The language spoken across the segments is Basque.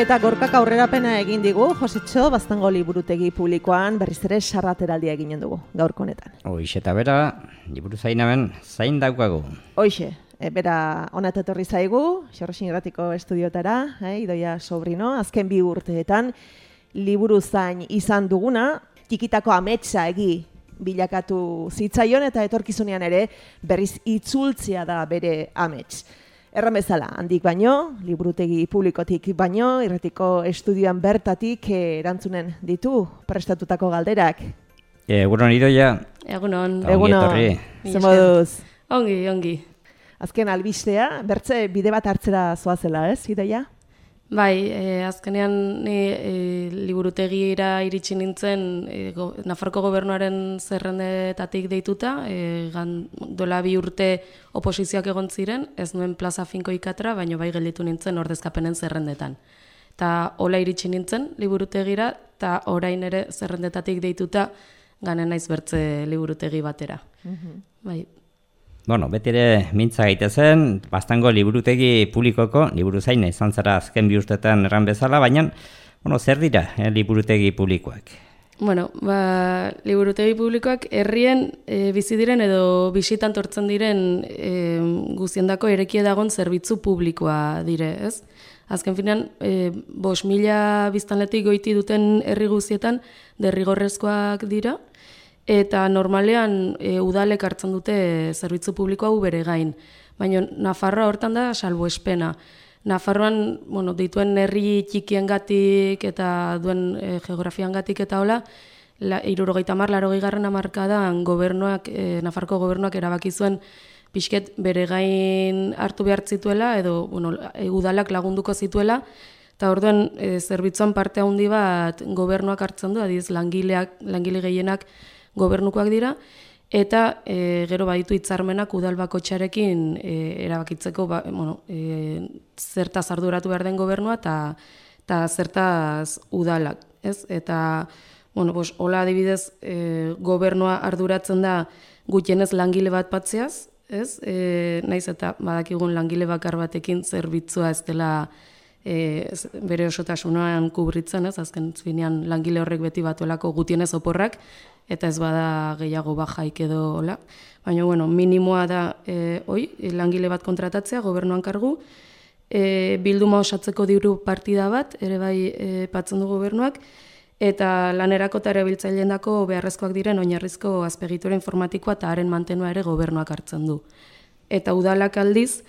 Eta gorkak aurrerapena egin digu, Josetxo, Baztango liburutegi publikoan berriz ere sarrateraldia eginen dugu, gaurko honetan. Hoixe eta bera, liburu zainaben, zain daukagu. Hoixe, bera honat etorri zaigu, Xorroxin Irratiko estudiotara, Idoia Sobrino, azken 2 urteetan liburu zain izan duguna, txikitako ametsa bilakatu zitzaion eta etorkizunean ere berriz itzultzea da bere amets. Erran bezala, handik baino, liburutegi publikotik baino, Irratiko estudioan bertatik erantzunen ditu prestatutako galderak. Egunon Idoia. Egunon. Egunon. Zer moduz? Ongi. Azken albistea, bertze bide bat hartzera zoazela, ez, Idoia? Bai, azkenean ni liburutegira iritsi nintzen Nafarroko gobernuaren zerrendetatik deituta, dola 2 urte oposizioak egon ziren, ez nuen plaza finko ikatra, baina bai gelditu nintzen ordezkapenen zerrendetan. Eta hola iritsi nintzen liburutegira, eta orain ere zerrendetatik deituta ganen naiz bertze liburutegi batera. Bai. Bueno, beti ere mintza gaitezen, Baztango liburutegi publikoko, liburu zaina izan zara azken 2 urteetan erran bezala, baina, zer dira liburutegi publikoak? Bueno, liburutegi publikoak herrien bizi diren edo bisitan tortzen diren guztiendako erekie dagon zerbitzu publikoa dire, ez? Azken finean, 5.000 biztanletik goiti duten herri guztietan derrigorrezkoak dira, eta normalean udalek hartzen dute zerbitzu publikoa bere gain. Baina Nafarroa hortan da salbuespena. Nafarroan, dituen herri txikiengatik eta duen geografiangatik eta hola, 70-80 hamarkadan Nafarroko gobernuak erabaki zuen pixket bere gain hartu behar zituela edo udalak lagunduko zituela, eta orduan zerbitzuan parte handi bat gobernuak hartzen du, adiz langile gehienak gobernukoak dira, eta gero baditu hitzarmenak udal bakoitzarekin erabakitzeko zertaz arduratu behar den gobernua eta zertaz udalak. Ez? Eta hola adibidez gobernua arduratzen da gutxienez langile bat batzeaz, ez? Naiz eta badakigun langile bakar batekin zerbitzua ez dela bere osotasunean kubritzen, ez? Azken finean langile horrek beti batuelako gutienez oporrak, eta ez bada gehiago bajaik edo hola. Baina, minimoa da langile bat kontratatzea, gobernuan kargu, bilduma osatzeko diru partida bat, ere bai patzen du gobernuak, eta lanerako eta erabiltzaileen dako beharrezkoak diren oinarrizko azpegitura informatikoa eta haren mantenua ere gobernuak hartzen du. Eta udalak aldiz,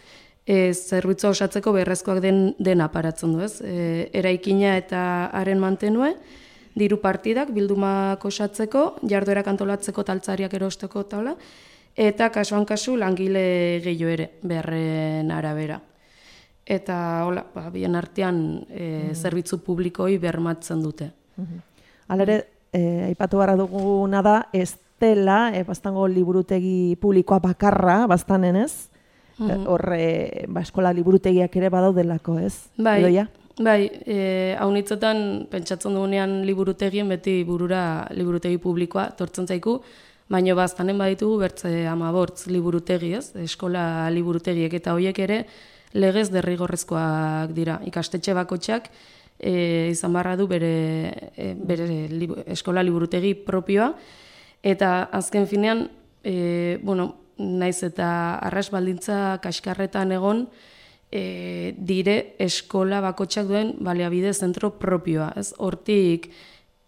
zerbitzua osatzeko beharrezkoak dena paratzen du, ez? Eraikina eta haren mantenue, diru partidak bildumak osatzeko, jarduerak antolatzeko taltzariak erosteko taula, eta kasuan kasu langile gehiago ere, beharren arabera. Eta hola, bien artean zerbitzu publikoi bermatzen dute. Halere, aipatu barra duguna da, ez dela, Baztango liburutegi publikoa bakarra, baztanen ez? Horre, eskola liburutegiak ere badaudelako, ez? Idoia? Bai, haunitzetan pentsatzen dugunean liburutegien beti burura liburutegi publikoa tortzen zaiku, baina baztanen baditugu bertze 15 liburutegi, ez? Eskola liburutegiek eta horiek ere legez derrigorrezkoak dira. Ikastetxe bakoitzak izan barra du bere eskola liburutegi propioa, eta azken finean, naiz eta arras baldintza kaskarretan egon, dire eskola bakoitzak duen baliabide zentro propioa. Hortik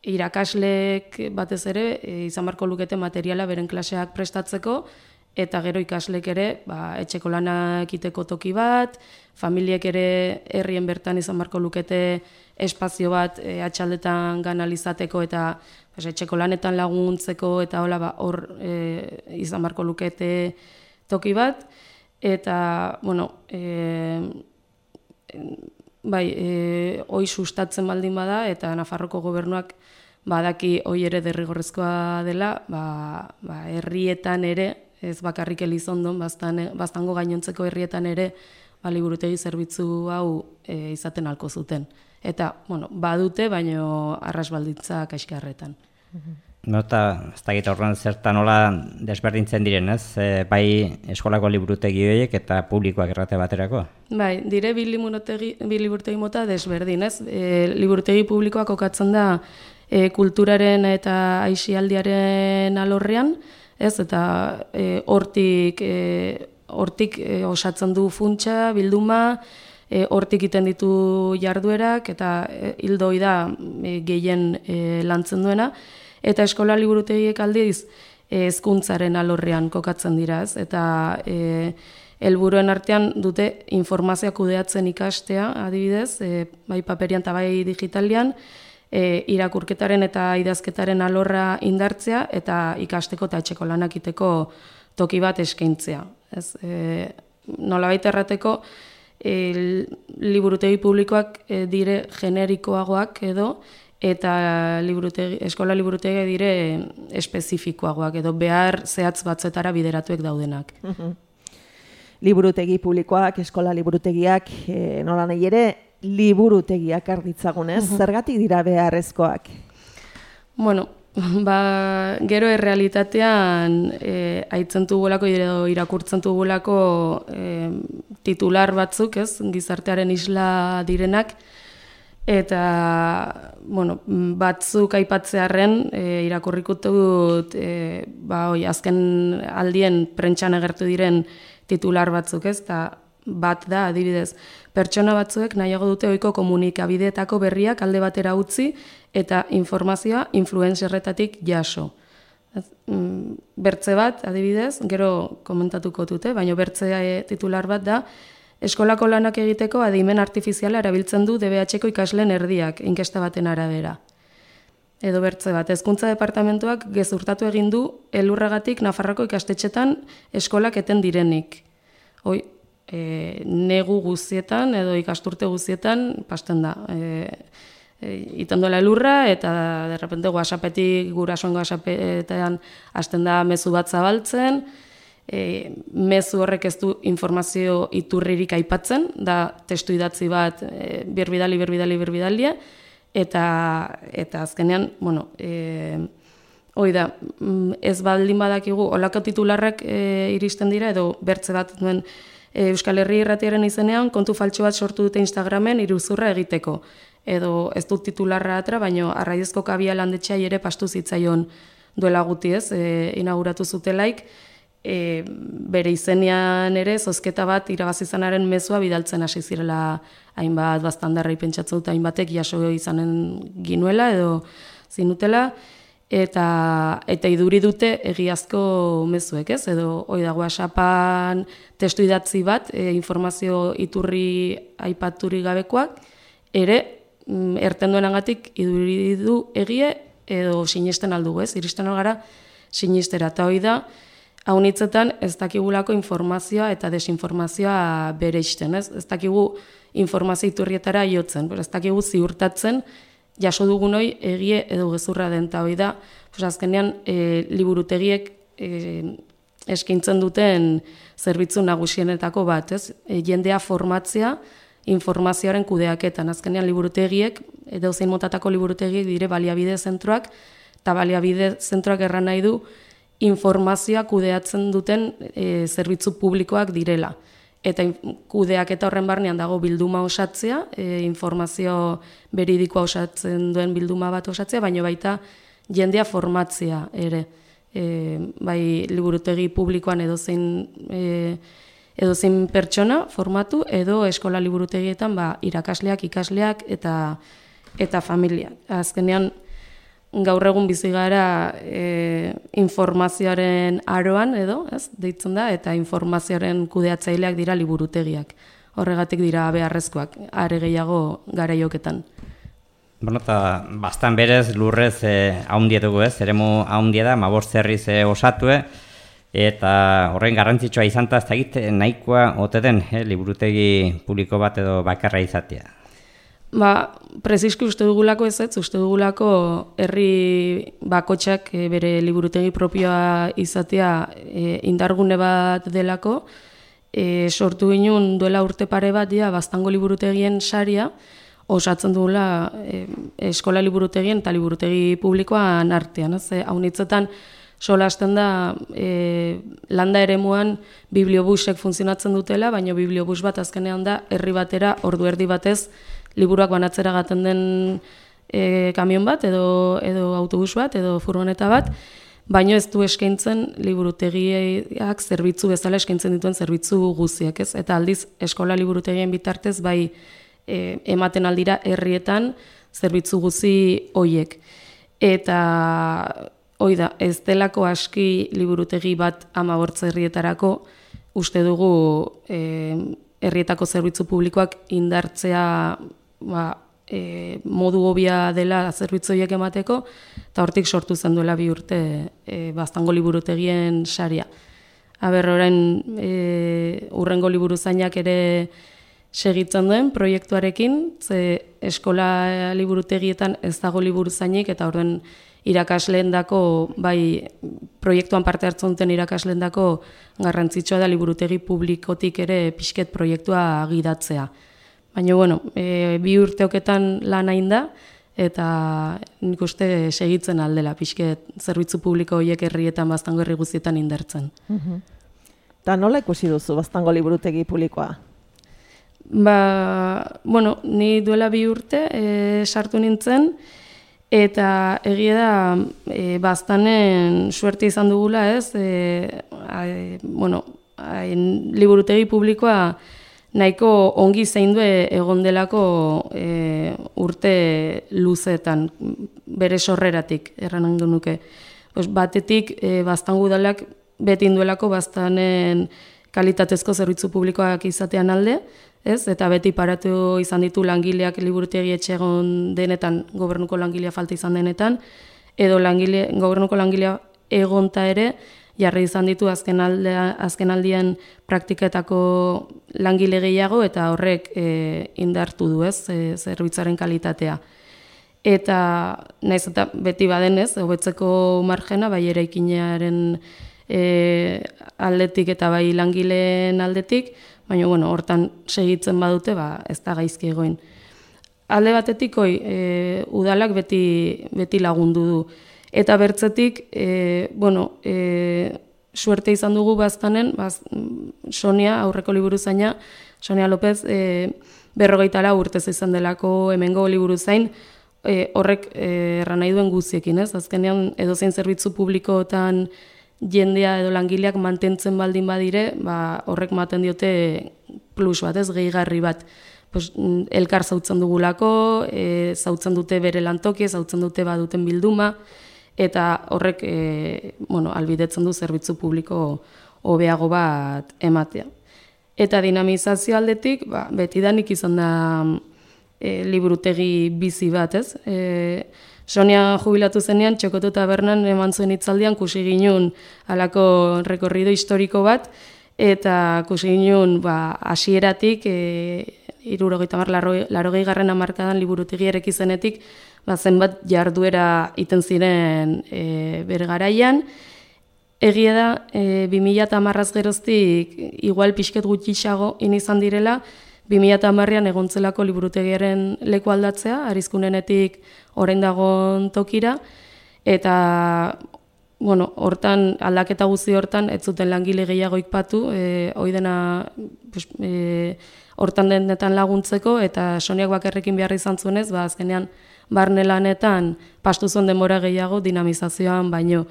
irakaslek batez ere izan barko lukete materiala beren klaseak prestatzeko, eta gero ikaslek ere etxeko lanak egiteko toki bat, familiek ere herrien bertan izan barko lukete espazio bat atxaldetan ganalizateko eta etxeko lanetan laguntzeko eta hor izan barko lukete toki bat. Eta, hoi sustatzen baldin bada, eta Nafarroko gobernuak badaki hoi ere derrigorrezkoa dela, herrietan ere, ez bakarrik Elizondon, Baztango gainontzeko herrietan ere, liburutegi zerbitzu hau izaten halko zuten. Eta, badute, baino arras baldintza kaskarretan. Eta ez dakit horren zertan nola desberdintzen diren, ez? Bai eskolako liburutegi horiek eta publikoak errate baterako? Bai, dire bi liburutegi mota desberdin, ez? Liburutegi publikoak kokatzen da kulturaren eta aisialdiaren alorrean, ez? Eta hortik osatzen du funtsa, bilduma, hortik egiten ditu jarduerak eta hildoi da gehien lantzen duena. Eta eskola liburutegiek aldiz hezkuntzaren alorrean kokatzen dira, ez? Eta helburuen artean dute informazioa kudeatzen ikastea, adibidez, bai paperian eta bai digitalian, irakurketaren eta idazketaren alorra indartzea eta ikasteko eta etxeko lanak egiteko toki bat eskaintzea. Ez? Nolabait errateko, liburutegi publikoak dire generikoagoak edo, eta eskola liburutegia dire espezifikoagoak edo behar zehatz batzetara bideratuek daudenak. Liburutegi publikoak, eskola liburutegiak, nola nahi ere, liburutegiak arditzagunez, zergatik dira beharrezkoak? Bueno, gero errealitatean aitzen dugulako edo irakurtzen dugulako titular batzuk, ez, gizartearen isla direnak, eta bueno, batzuk aipatzearren irakurriko dut azken aldien prentsan agertu diren titular batzuk, ez? Ta bat da adibidez, pertsona batzuek nahiago dute ohiko komunikabideetako berriak alde batera utzi eta informazioa influencerretatik jaso. Bertze bat adibidez, gero komentatuko dute, baina bertze titular bat da eskolako lanak egiteko adimen artifiziala erabiltzen du DBH-ko ikasleen erdiak, inkesta baten arabera. Edo bertze bat, hezkuntza departamentuak gezurtatu egin du elurragatik Nafarroko ikastetxetan eskolak eten direnik. Negu guztietan edo ikasturte guztietan pasten da. Iten duela elurra eta derrepente WhatsAppetik, gurasoen WhatsAppetan hasten da mezu bat zabaltzen, mezu horrek ez du informazio iturririk aipatzen, da testu idatzi bat birbidali, eta azkenean, bueno, da, ez baldin badakigu, olako titularrak iristen dira, edo bertze bat duen Euskal Herri Irratiaren izenean, kontu faltsu bat sortu dute Instagramen iruzurra egiteko. Edo ez dut titularra atra, baina Arraizko Kabia landetxea ere pastu zitzaion duela guti, ez, inauguratu zutelaik, bere izenean ere zozketa bat irabazizanaren mezua bidaltzen hasi zirela hainbat baztandarrei pentsatzen dut hainbatek jaso izanen ginuela edo zinutela, eta iduri dute egiazko mezuek, ez? Edo da WhatsAppan testu idatzi bat, informazio iturri aipaturi gabekoak, ere erten duenagatik iduri du egie edo sinesten aldugu, ez? Iristen algara sinistera, eta da, haunitzetan ez dakigulako informazioa eta desinformazioa bereizten, ez? Ez dakigu informazio iturrietara jotzen, ez dakigu ziurtatzen jaso dugun hori egie edo gezurra den, eta da, azkenean liburutegiek eskaintzen duten zerbitzu nagusienetako bat, ez? Jendea formatzea informazioaren kudeaketan, azkenean liburutegiek, edo zein motatako liburutegiek dire baliabide zentroak, eta baliabide zentroak erran nahi du informazioa kudeatzen duten zerbitzu publikoak direla. Eta kudeaketa horren barnean dago bilduma osatzea, informazio beridikoa osatzen duen bilduma bat osatzea, baina baita jendea formatzea ere. Bai liburutegi publikoan edozein pertsona formatu, edo eskola liburutegietan irakasleak, ikasleak eta familiak. Azkenean, gaur egun bizi gara informazioaren aroan edo, ez, deitzen da, eta informazioaren kudeatzaileak dira liburutegiak. Horregatik dira beharrezkoak, are gehiago garaioketan. Bueno, eta bastan berez lurrez haundietugu, ez, eremu haundia da, 15 herriz osatue, eta horren garrantzitsua izanta ez dakit nahikoa ote den liburutegi publiko bat edo bakarra izatea. Preziski uste dugulako uste dugulako herri bakotxak bere liburutegi propioa izatea indargune bat delako. Sortu ginen duela urte pare bat Baztango liburutegien saria, osatzen duela eskola liburutegien eta liburutegi publikoan artean. Haunitzetan solasten da landa eremuan bibliobusek funtzionatzen dutela, baina bibliobus bat azkenean da herri batera ordu erdi batez liburuak banatzera gaten den kamion bat edo autobus bat edo furgoneta bat, baina ez du eskaintzen liburutegiak zerbitzu bezala eskaintzen dituen zerbitzu guztiak, ez? Eta aldiz eskola liburutegien bitartez bai ematen aldira herrietan zerbitzu guzti hoiek. Eta hoi da, ez delako aski liburutegi bat 15 herrietarako uste dugu herrietako zerbitzu publikoak indartzea modu hobia dela zerbitzu horiek emateko, eta hortik sortu zen duela 2 urte Baztango liburutegien saria. Orain hurrengo liburuzainak ere segitzen duen proiektuarekin, ze eskola liburutegietan ez dago liburuzainik, eta horren irakasleendako, bai proiektuan parte hartzen duten irakasleendako garrantzitsua da liburutegi publikotik ere pixket proiektua gidatzea. Baina, 2 urteoketan lan hain da, eta nik uste segitzen aldela pixket zerbitzu publiko horiek herrietan Baztango herri guztietan indartzen. Eta nola ikusi duzu Baztango liburutegi publikoa? Ni duela 2 urte sartu nintzen, eta egia da Baztanen suerte izan dugula, ez? Liburutegi publikoa nahiko ongi zaindu egon delako urte luzeetan, bere sorreratik, erran nuke. Batetik, Baztango udalak beti induelako Baztanen kalitatezko zerbitzu publikoak izatean alde, ez? Eta beti paratu izan ditu langileak liburutegi etxe egon denetan, gobernuko langilea falta izan denetan, edo gobernuko langilea egonta ere, jarri izan ditu azkenaldian praktiketako langile gehiago, eta horrek indartu du, ez, zerbitzaren kalitatea. Eta naiz eta beti badenez, hobetzeko margena, bai eraikinaren aldetik eta bai langileen aldetik, baina hortan segitzen badute, ez da gaizki egoin. Alde batetik, udalak beti lagundu du. Eta bertzetik, suerte izan dugu Baztanen, Sonia, aurreko liburuzaina, Sonia López, 54 urtez izan delako hemengo liburuzain, horrek erran nahi duen guztiekin, ez? Azkenean, edozein zerbitzu publikoetan jendea edo langileak mantentzen baldin badire, horrek maten diote plus bat, ez, gehigarri bat. Elkar zautzen dugulako, zautzen dute bere lantoki, zautzen dute baduten bilduma, eta horrek albidetzen du zerbitzu publiko hobeago bat ematea. Eta dinamizazio aldetik, betidanik izan da liburutegi bizi bat, ez? Sonia jubilatu zenean, Txokotu Tabernan eman zuen hitzaldian kusi ginun halako rekorrido historiko bat, eta kusi ginun hasieratik 80-80 hamarkadan liburutegi ereki zenetik, zenbat jarduera iten ziren bere garaian. Egia da, 2010 geroztik igual pixket gutxixago izan direla, 2010an egontzelako liburutegiaren leku aldatzea, Arizkunenetik orain dagoen tokira, eta hortan, aldaketa guzti hortan, ez zuten langile gehiago ikpatu, oidena hortan denetan laguntzeko, eta Soniak bakarrekin behar izan zuenez, azkenean barne lanetan pastu zuen denbora gehiago dinamizazioan baino.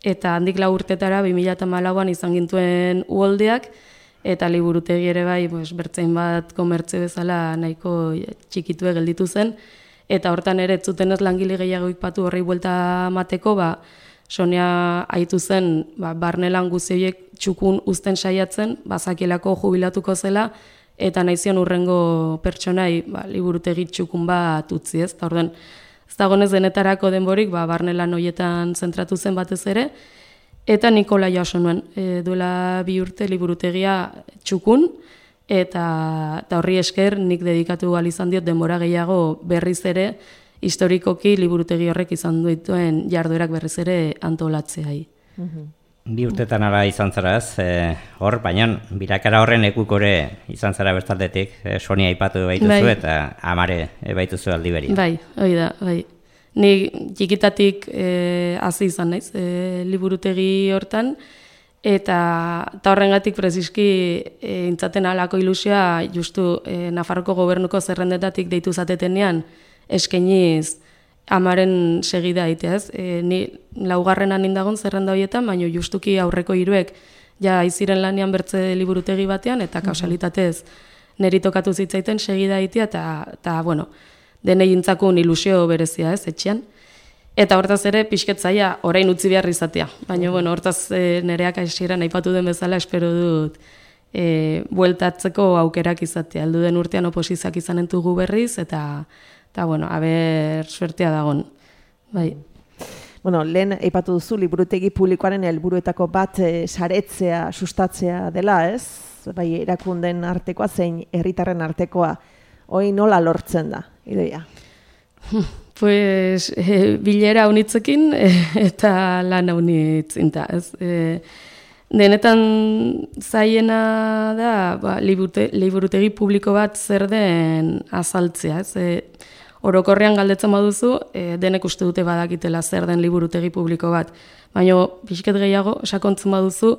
Eta handik 4 urtetara 2014an izan gintuen uholdeak, eta liburutegi ere bai, bertzein bat komertze bezala nahiko txikitue gelditu zen, eta hortan ere ez zuten ez langile gehiago ikpatu horrei buelta mateko, Sonia aitu zen barne lan guztiek txukun uzten saiatzen, bazakielako jubilatuko zela, eta nahizion urrengo pertsonai liburutegi txukun bat utzi, ez? Eta orduan, ez dagonez denetarako denborik, barne lan horietan zentratu zen batez ere, eta Nikola jaso nuen, duela 2 urte liburutegia txukun, eta horri esker nik dedikatu gal izan diot denbora gehiago berriz ere, historikoki liburutegi horrek izan dituen jarduerak berriz ere antolatzeai. Bi urtetan ala izan zara ez, hor, baina birakara horren ekukore izan zara bertaldetik, Sonia aipatu baituzu eta Amare baituzu aldi beria. Bai, hori da, bai. Ni txikitatik hasi izan naiz, liburutegi hortan, eta horrengatik preziski intzaten alako ilusioa justu Nafarroko gobernuko zerrendetatik deitu zatetenean eskainiz Amaren segida egitea, ez? Ni laugarrenan indagon zerrenda horietan, baina justuki aurreko hiruek ja aiziren lanean bertze liburutegi batean, eta kausalitatez niri tokatu zitzaiten segida egitea, eta bueno, denei intzakun ilusio berezia, ez, etxean. Eta hortaz ere, pixketzaia orain utzi behar izatea. Baina, bueno, hortaz nereak hasieran aipatu den bezala, espero dut bueltatzeko aukerak izatea. Heldu den urtean oposizioak izanen dugu berriz, eta bueno, aber suertea dagon. Bai. Bueno, lehen aipatu duzu liburutegi publikoaren helburuetako bat saretzea, sustatzea dela, ez? Bai, erakunden artekoa zein herritarren artekoa. Hoi nola lortzen da, Idoia? Pues, bilera unitzekin eta lan unitzinta, ez? Denetan zaiena da, liburutegi publiko bat zer den azaltzea, ez? Orokorrean galdetzen baduzu, denek uste dute badakitela zer den liburutegi publiko bat. Baina, pixket gehiago, sakontzen baduzu,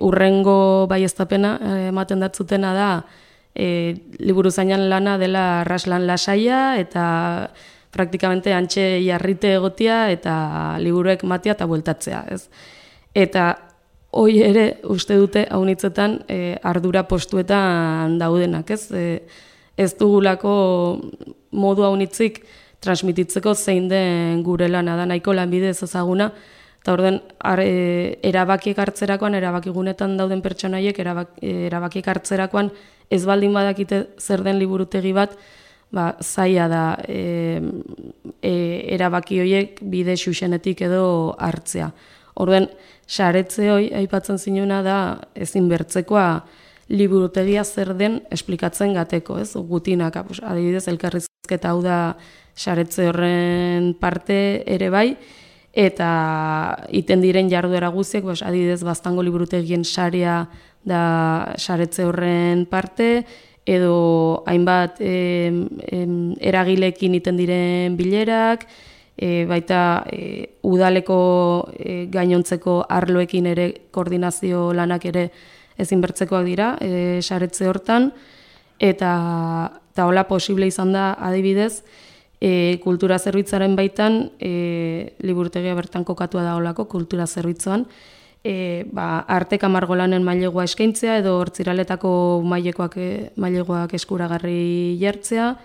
urrengo baieztapena ematen datzutena da, liburuzainan lana dela arraslan lasaia, eta praktikamente antxe jarrite egotia, eta liburuek matia eta bueltatzea, ez? Eta hoi ere uste dute haunitzetan ardura postuetan daudenak, ez? Ez dugulako modu haunitzik transmititzeko zein den gure lana da, nahiko lanbide ezaguna, eta orden erabakiek hartzerakoan, erabakigunetan dauden pertsonaiek erabakiek hartzerakoan ez baldin badakite zer den liburutegi bat, zaila da erabaki horiek bide xuxenetik edo hartzea. Orden, saretze hoi aipatzen zinuna da ezin bertzekoa liburutegia zer den esplikatzen gateko, ez? Gutinak, adibidez, elkarrizketa hau da saretze horren parte ere bai, eta iten diren jarduera guziek, adibidez, Baztango liburutegien sarea da saretze horren parte, edo hainbat eragilekin iten diren bilerak, baita udaleko gainontzeko arloekin ere koordinazio lanak ere ezinbertzekoak dira, saretze hortan, eta hola posible izan da adibidez, kultura zerbitzaren baitan, liburutegia bertan kokatua da holako kultura zerbitzuan, Arteka margolanen mailegoa eskaintzea edo hortziraletako mailegoak eskuragarri jartzea,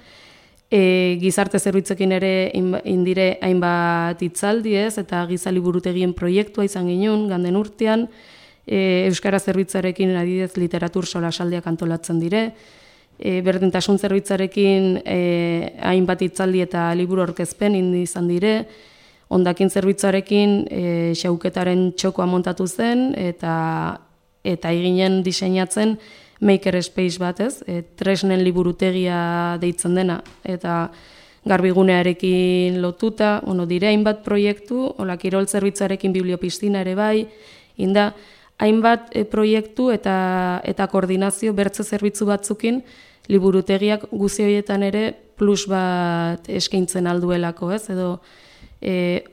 gizarte zerbitzekin ere indire hainbat hitzaldi ez, eta giza liburutegien proiektua izan ginen ganden urtean, Euskara zerbitzarekin adidez literatur solasaldiak antolatzen dire, berdintasun zerbitzarekin hainbat hitzaldi eta liburu aurkezpen izan dire, hondakin zerbitzarekin xauketaren txokoa montatu zen eta eginen diseinatzen maker space bat, ez? Tresnen liburutegia deitzen dena eta garbigunearekin lotuta, dire hainbat proiektu, hola kirol zerbitzarekin bibliopistina ere bai, inda hainbat proiektu eta koordinazio bertze zerbitzu batzukin liburutegiak guzi horietan ere plus bat eskaintzen alduelako, ez? Edo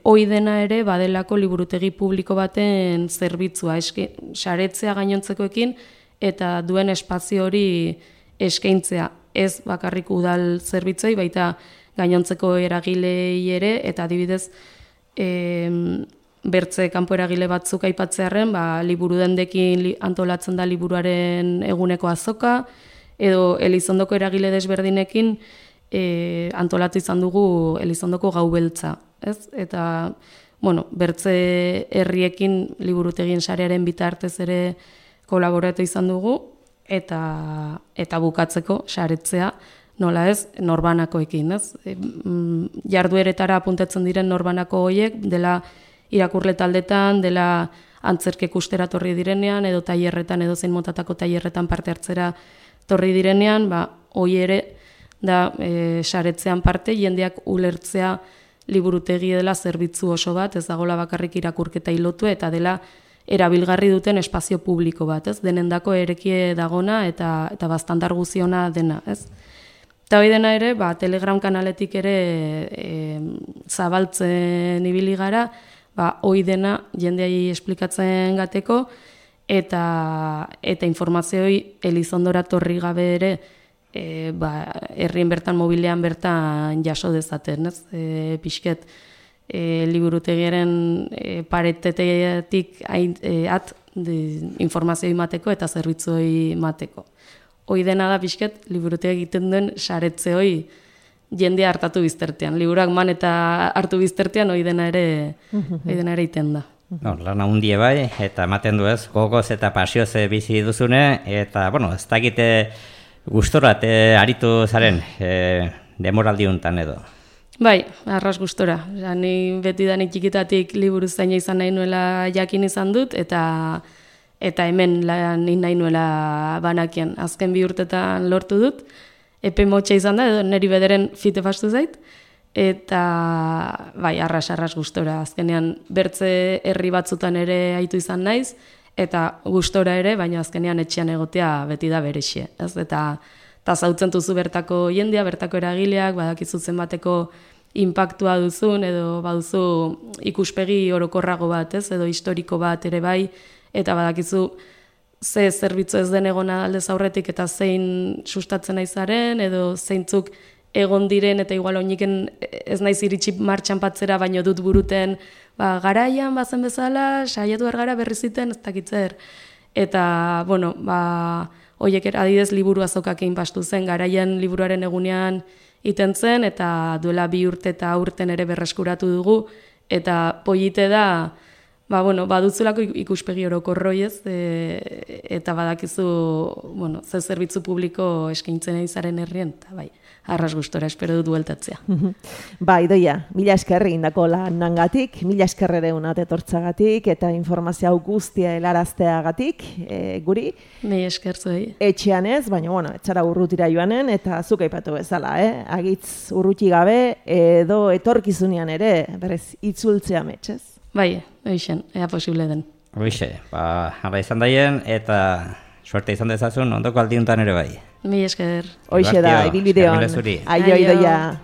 hoi dena ere badelako liburutegi publiko baten zerbitzua, saretzea gainontzekoekin eta duen espazio hori eskaintzea. Ez bakarrik udal zerbitzoi, baita gainontzeko eragilei ere, eta adibidez bertze kanpo eragile batzuk aipatzearren, liburu dendekin antolatzen da liburuaren eguneko azoka, edo Elizondoko eragile desberdinekin antolatu izan dugu Elizondoko gau beltza. Ez? Eta, bertze herriekin liburutegien sarearen bitartez ere kolaboratu izan dugu, eta bukatzeko saretzea, nola ez, norbanakoekin. Ez? Jardueretara apuntatzen diren norbanako horiek, dela irakurle taldetan, dela antzerkek ustera torri direnean, edo tailerretan, edo zein motatako tailerretan parte hartzera torri direnean, hoi ere da saretzean parte, jendeak ulertzea liburutegi dela zerbitzu oso bat, ez dagoela bakarrik irakurketa hilotu, eta dela erabilgarri duten espazio publiko bat, ez? Denendako erekie dagona eta bastandar guziona dena, ez? Eta hori dena ere, Telegram kanaletik ere zabaltzen ibili gara, hori dena jendeai esplikatzen gateko, eta informazioi Elizondora torri gabe ere, herrien bertan, mobilean bertan jaso dezaten, ez? Pixket, liburutegiaren paretetetik informazioi mateko eta zerbitzoi mateko. Hoi dena da pixket, liburutegi egiten duen saretze hoi jendea hartatu biztertean. Liburuak man eta hartu biztertean hoi dena ere iten da. No, lan handie bai, eta ematen du ez, gogoz eta pasioz bizi duzune, eta, bueno, ez dakite gustorat aritu zaren demoraldi hontan edo. Bai, arras gustora. Ni beti danik txikitatik liburu zaina izan nahi nuela jakin izan dut, eta hemen lan nahi nuela banakian. Azken 2 urtetan lortu dut, epe motxa izan da, edo niri bederen fite fastu zait, eta bai, arras gustora. Azkenean bertze herri batzutan ere aitu izan naiz, eta gustora ere, baina azkenean etxean egotea beti da berexie. Eta zautzen duzu bertako jendea, bertako eragileak, badakizu zenbateko inpaktua duzun, edo baduzu ikuspegi orokorrago bat, ez? Edo historiko bat ere bai, eta badakizu ze zerbitzu ez den egona aldez aurretik eta zein sustatzen naizaren, edo zeintzuk egon diren, eta igual oiniken ez naiz iritsi martxan patzera, baino dut buruten, garaian bazen bezala, saiatu ergara berriziten, ez dakitzer. Eta, bueno, hoiek adidez liburu azokakein bastu zen, garaian liburuaren egunean iten zen, eta duela 2 urte eta aurten ere berreskuratu dugu, eta polite da, baduzulako ikuspegi orokorroi ez, eta badakizu, ze zerbitzu publiko eskaintzen izaren herrien, eta bai, arras gustora, espero dut bueltatzea. Idoia, mila esker egindako lanagatik, mila esker ere unat etortzagatik, eta informazio hau guztia helarazteagatik, guri. Mila esker zuei. Etxean ez, baina, etxara urrutira joanen, eta zuk aipatu bezala, agitz urruti gabe, edo etorkizunean ere, berez, itzultzea metxez. Bai, oixen, ea posible den. Oixe, hala izan daien, eta suerte izan dezazun, ondoko aldiuntan ere bai. Mila esker. Hoixe da, ibilbideon. Aio, Idoia.